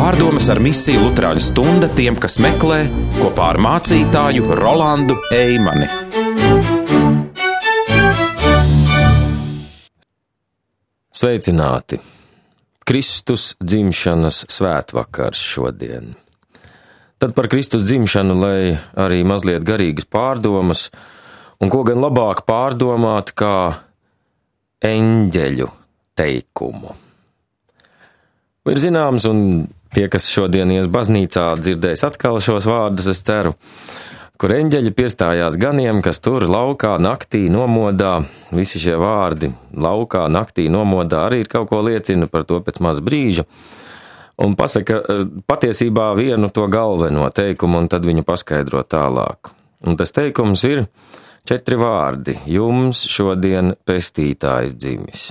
Pārdomas ar misiju Luterāņu stunda tiem, kas meklē, kopā ar mācītāju Rolandu Eimani. Sveicināti! Kristus dzimšanas svētvakars šodien. Tad par Kristus dzimšanu, lai arī mazliet garīgas pārdomas, un ko gan labāk pārdomāt kā eņģeļu teikumu. Ir zināms, un tie, kas šodien ies baznīcā, dzirdēs atkal šos vārdus, es ceru, kur eņģeļi piestājās ganiem, kas tur laukā naktī nomodā. Visi šie vārdi laukā naktī nomodā arī ir kaut ko liecina par to pēc maz brīža. Un pasaka patiesībā vienu to galveno teikumu, un tad viņu paskaidro tālāk. Un tas teikums ir 4 vārdi. Jums šodien pestītājs dzimis.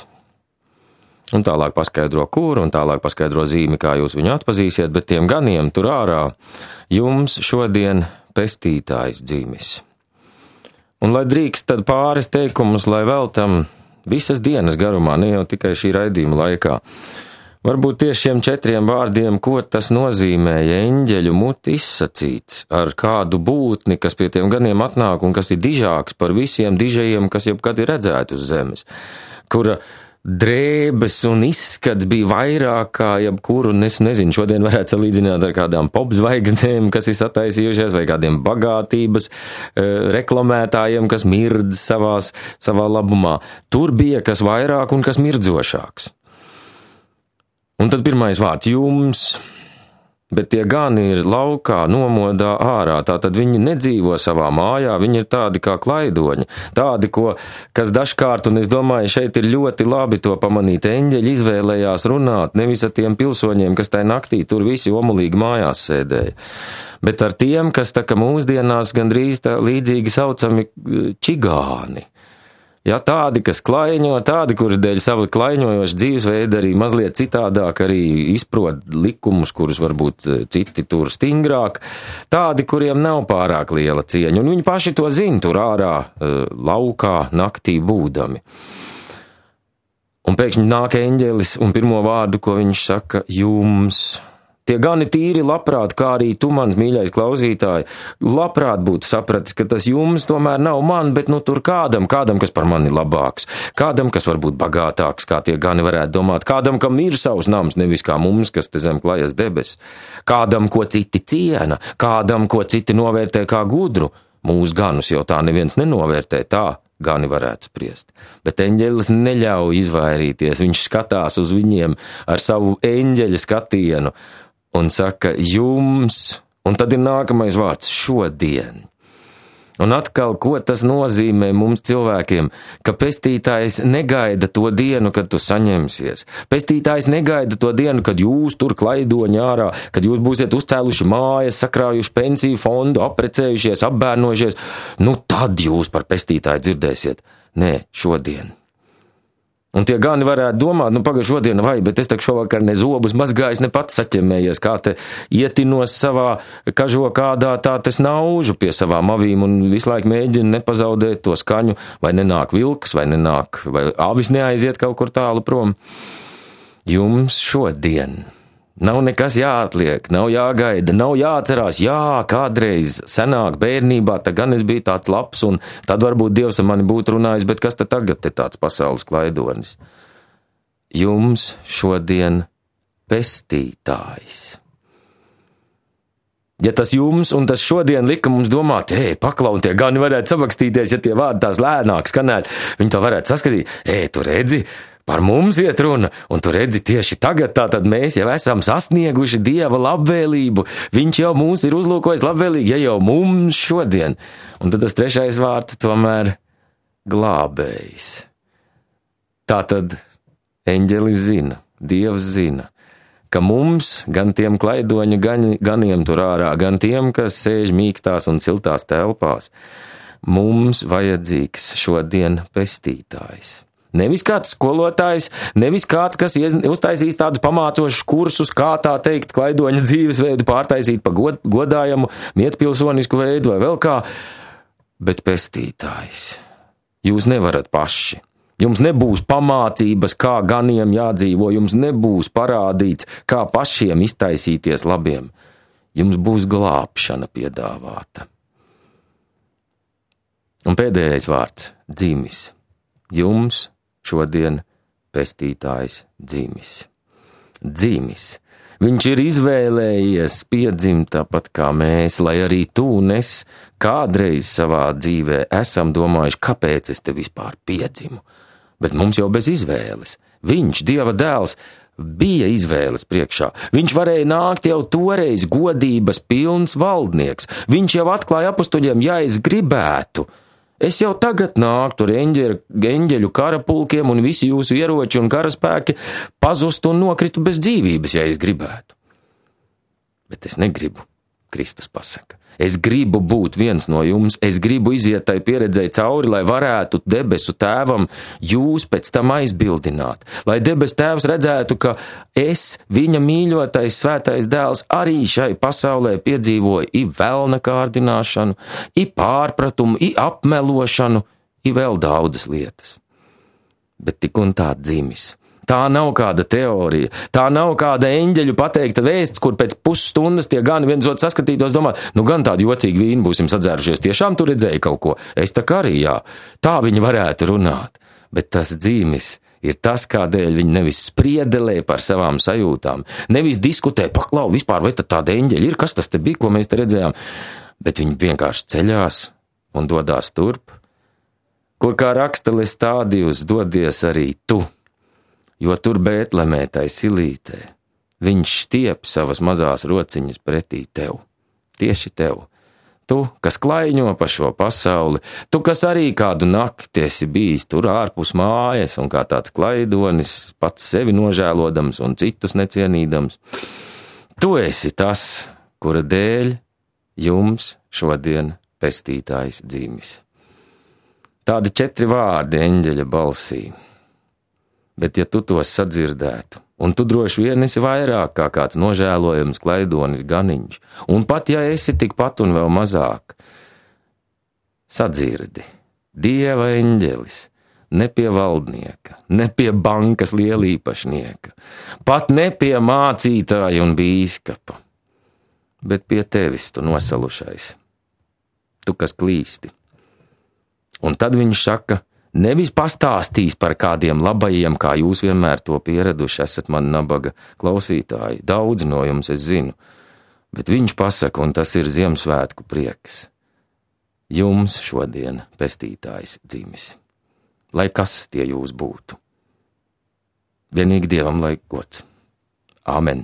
Un tālāk paskaidro kur, un tālāk paskaidro zīmi, kā jūs viņu atpazīsiet, bet tiem ganiem tur ārā jums šodien pestītājs dzimis. Un lai drīkst tad pāris teikumus, lai veltam visas dienas garumā, ne jau tikai šī raidījuma laikā. Varbūt tieši šiem 4 vārdiem, ko tas nozīmēja eņģeļu muti izsacīts ar kādu būtni, kas pie tiem ganiem atnāk un kas ir dižāks par visiem dižajiem, kas jebkad ir redzēti uz zemes, kura drēbes un izskats bija vairāk kā jebkuru, un es nezinu, šodien varētu salīdzināt ar kādām popzvaigznēm, kas ir sataisījušies, vai kādiem bagātības reklamētājiem, kas mirdz savā labumā. Tur bija kas vairāk un kas mirdzošāks. Un tad pirmais vārds jums, bet tie gani ir laukā, nomodā ārā, tātad viņi nedzīvo savā mājā, viņi ir tādi kā klaidoņi, tādi, kas dažkārt, un es domāju, šeit ir ļoti labi to pamanīt, eņģeļi izvēlējās runāt nevis ar tiem pilsoņiem, kas tai naktī tur visi omulīgi mājās sēdēja, bet ar tiem, kas tā kā mūsdienās gandrīz tā līdzīgi saucami čigāni. Ja, tādi, kas klaiņo, tādi, kuri dēļ sava klaiņojoša dzīvesveida arī mazliet citādāk arī izprot likumus, kurus varbūt citi tur stingrāk, tādi, kuriem nav pārāk liela cieņa, un viņi paši to zina tur ārā, laukā, naktī būdami. Un pēkšņi nāk eņģelis, un pirmo vārdu, ko viņš saka, jums. Tie gani tīri labprāt, kā arī tu, mans mīļais klausītāji, labprāt būtu sapratis, ka tas jums tomēr nav man, bet nu tur kādam, kas par mani labāks, kādam, kas varbūt bagātāks, kā tie gani varētu domāt, kādam, kam ir savs nams, nevis kā mums, kas te zem klajas debes, kādam, ko citi ciena, kādam, ko citi novērtē kā gudru. Mūsu ganus jau tā neviens nenovērtē, tā gani varētu spriest. Bet eņģelis neļauj izvairīties, viņš skatās uz viņiem ar savu eņģeļa skatienu, un saka, jums, un tad ir nākamais vārds, šodien. Un atkal, ko tas nozīmē mums cilvēkiem, ka pestītājs negaida to dienu, kad tu saņemsies. Pestītājs negaida to dienu, kad jūs tur klaidoņi ārā, kad jūs būsiet uzcēluši mājas, sakrājuši pensiju fondu, aprecējušies, apbērnojušies. Nu tad jūs par pestītāju dzirdēsiet. Nē, šodien. Un tie gani varētu domāt, nu pagaid šodien vai, bet es tak šovakar ne zobus mazgājis, ne pats saķemējies, kā te ietinos savā kažo kādā, tā te snaužu pie savām avīm un visu laiku mēģina nepazaudēt to skaņu, vai nenāk vilks, vai avis neaiziet kaut kur tālu prom. Jums šodien nav nekas jāatliek, nav jāgaida, nav jāatcerās, kādreiz senāk bērnībā, tā gan es biju tāds labs, un tad varbūt Dievs ar mani būtu runājis, bet kas tad tagad te tāds pasaules klaidonis? Jums šodien pestītājs. Ja tas jums un tas šodien lika mums domāt, paklau, un tie gani varētu samakstīties, ja tie vārdi tās lēnāk skanētu, viņi to varētu saskatīt, tu redzi, par mums iet runa, un tu redzi tieši tagad, tātad mēs jau esam sasnieguši Dieva labvēlību, viņš jau mūs ir uzlūkojis labvēlīgi, ja jau mums šodien. Un tad tas 3. vārds tomēr glābējs. Tātad eņģelis zina, Dievs zina, ka mums, gan tiem klaidoņu ganiem tur ārā, gan tiem, kas sēž mīkstās un siltās telpās, mums vajadzīgs šodien pestītājs. Nevis kāds skolotājs, nevis kāds, kas uztaisīs tādus pamācošus kursus, kā tā teikt, klaidoņa dzīvesveidu pārtaisīt pa godājamu, mietpilsonisku veidu vai vēl kā, bet pestītājs. Jūs nevarat paši. Jums nebūs pamācības, kā ganiem jādzīvo, jums nebūs parādīts, kā pašiem iztaisīties labiem. Jums būs glābšana piedāvāta. Un pēdējais vārds – dzimis. Jums šodien pestītājs dzimis. Dzimis. Viņš ir izvēlējies piedzimt tāpat kā mēs, lai arī tu un es kādreiz savā dzīvē esam domājuši, kāpēc es te vispār piedzimu. Bet mums jau bez izvēles. Viņš, Dieva dēls, bija izvēles priekšā. Viņš varēja nākt jau toreiz godības pilns valdnieks. Viņš jau atklāja apustuļiem, ja es gribētu. Es jau tagad nāktu ar eņģeļu karapulkiem un visi jūsu ieroči un karaspēki pazustu un nokritu bez dzīvības, ja es gribētu. Bet es negribu, Kristus pasaka. Es gribu būt viens no jums, es gribu iziet tai pieredzēji cauri, lai varētu debesu tēvam jūs pēc tam aizbildināt. Lai debesu tēvs redzētu, ka es, viņa mīļotais svētais dēls, arī šai pasaulē piedzīvoju i velna kārdināšanu, i pārpratumu, i apmelošanu, i vēl daudzas lietas. Bet tik un tā dzimis. Tā nav kāda teorija, tā nav kāda eņģeļu pateikta vēsts, kur pēc pusstundas tie gan viens otru saskatītos domāt, nu gan tādu jocīgu vīnu būsim sadzērušies, tiešām tu redzēji kaut ko, es tā kā arī jā, tā viņi varētu runāt, bet tas dzimis ir tas, kādēļ viņi nevis spriedelē par savām sajūtām, nevis diskutē, paklau, vispār vai tad tāda eņģeļa ir, kas tas te bija, ko mēs te redzējām, bet viņi vienkārši ceļās un dodās turp, kur kā raksta Lestādijus dodies arī tu. Jo tur Bētlemē tai silītē, viņš stiep savas mazās rociņas pretī tev, tieši tev. Tu, kas klaiņo pa šo pasauli, tu, kas arī kādu nakti esi bijis tur ārpus mājas un kā tāds klaidonis, pats sevi nožēlodams un citus necienīdams. Tu esi tas, kura dēļ jums šodien pestītājs dzimis. Tādi 4 vārdi eņģeļa balsī. Bet ja tu tos sadzirdētu, un tu droši vien esi vairāk kā kāds nožēlojams klaidonis ganiņš, un pat ja esi tikpat un vēl mazāk, sadzirdi, Dieva eņģelis, ne pie valdnieka, ne pie bankas lielīpašnieka, pat ne pie mācītāja un bīskapa, bet pie tevis tu nosalušais, tu, kas klīsti. Un tad viņš saka, nevis pastāstīs par kādiem labajiem, kā jūs vienmēr to pieraduši esat man nabaga klausītāji, daudz no jums es zinu, bet viņš pasaka, un tas ir Ziemassvētku prieks. Jums šodien pestītājs dzimis, lai kas tie jūs būtu. Vienīgi Dievam lai gods. Āmen.